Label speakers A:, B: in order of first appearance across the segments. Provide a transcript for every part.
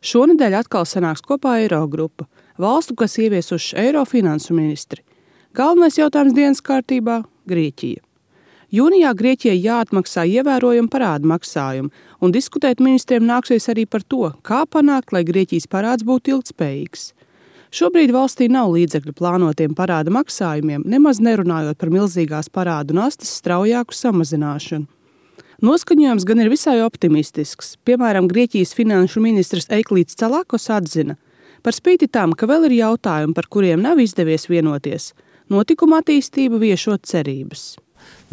A: Šonedēļ atkal sanāks kopā Eirogrupa, valstu, kas ieviesuši eiro finansu ministri. Galvenais jautājums dienas kārtībā – Grieķija. Jūnijā Grieķijai jāatmaksā ievērojami parādu maksājumi, un diskutēt ministriem nāksies arī par to, kā panākt, lai Grieķijas parāds būtu ilgtspējīgs. Šobrīd valstī nav līdzekļu plānotiem parāda maksājumiem, nemaz nerunājot par milzīgās parādu nastas straujāku samazināšanu. Noskaņojums gan ir visai optimistisks. Piemēram, Grieķijas finanšu ministrs Eiklīds Calakos atzina, par spīti tam, ka vēl ir jautājumi, par kuriem nav izdevies vienoties, notikuma attīstība viešot cerības.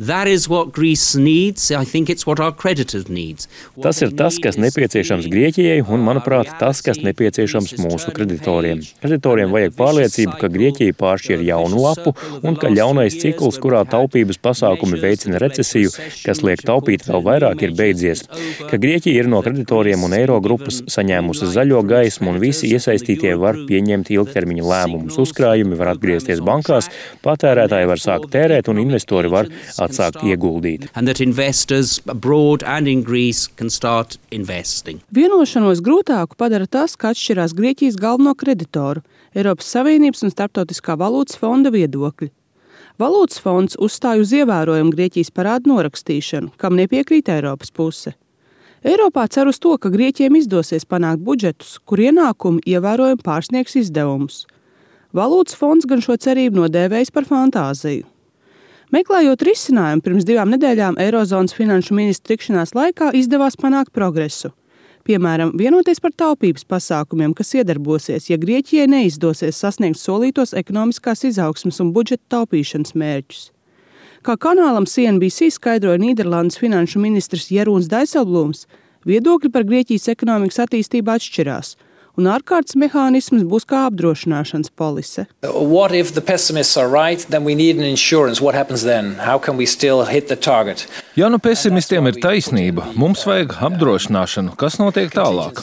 B: That is what Greece needs. I think it's what our creditors needs.
C: Tas ir tas, kas nepieciešams Grieķijai un, manuprāt, tas, kas nepieciešams mūsu kreditoriem. Kreditoriem vajag pārliecību, ka Grieķija pāršķir jaunu lapu un ka ļaunais cikls, kurā taupības pasākumi veicina recesiju, kas liek taupīt vēl vairāk, ir beidzies. Ka Grieķija ir no kreditoriem un Eirogrupas saņēmusi zaļo gaismu un visi iesaistītie var pieņemt ilgtermiņa lēmumus. Uzkrājumi var atgriezties bankās, patērētāji var sākt tērēt un investori var atsākt ieguldīt.
A: Vienošanos grūtāku padara tas, ka atšķirās Grieķijas galveno kreditoru, Eiropas Savienības un Starptautiskā valūtas fonda viedokļi. Valūtas fonds uzstāja uz ievērojumu Grieķijas parādu norakstīšanu, kam nepiekrīt Eiropas puse. Eiropā cer uz to, ka Grieķiem izdosies panākt budžetus, kur ienākumi ievērojami pārsniegs izdevumus. Valūtas fonds gan šo cerību nodēvējis par fantāziju. Meklējot risinājumu, pirms 2 nedēļām Eirozonas finanšu ministru tikšanās laikā izdevās panākt progresu. Piemēram, vienoties par taupības pasākumiem, kas iedarbosies, ja Grieķijai neizdosies sasniegt solītos ekonomiskās izaugsmes un budžeta taupīšanas mērķus. Kā kanālam CNBC skaidroja Nīderlandes finanšu ministrs Jeroens Dijsselbloems, viedokļi par Grieķijas ekonomikas attīstību atšķirās, un ārkārtas mehānisms būs kā apdrošināšanas polise.
D: What if the pessimists are right, then we need an insurance. What happens then? How can we still hit the target?
E: Ja nu pesimistiem ir taisnība, mums vajag apdrošināšanu, kas notiek tālāk.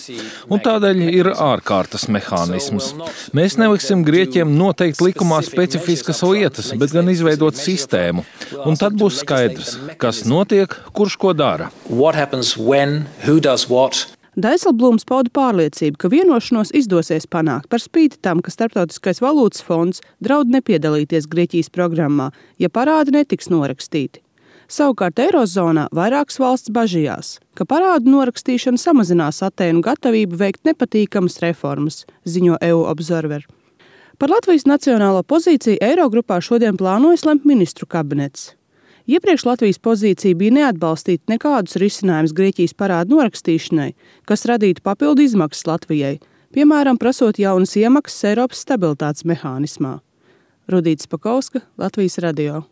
E: Un tādēļ ir ārkārtas mehānisms. Mēs neliksim Grieķiem noteikt likumā specifiskas lietas, bet gan izveidot sistēmu. Un tad būs skaidrs, kas notiek, kurš ko dara.
D: What happens when, who does what?
A: Dijsselbloems pauda pārliecību, ka vienošanos izdosies panākt par spīti tam, ka Starptautiskais valūtas fonds draud nepiedalīties Grieķijas programmā, ja parādi netiks norakstīti. Savukārt Eirozonā vairākas valsts bažījās, ka parādu norakstīšana samazinās Atēnu gatavību veikt nepatīkamas reformas, ziņo EU Observer. Par Latvijas nacionālo pozīciju Eirogrupā šodien plānojas lemt ministru kabinets. Iepriekš Latvijas pozīcija bija neatbalstīt nekādus risinājumus Grieķijas parādu norakstīšanai, kas radītu papildu izmaksas Latvijai, piemēram, prasot jaunas iemaksas Eiropas stabilitātes mehānismā. Rudīta Spakauska, Latvijas radio.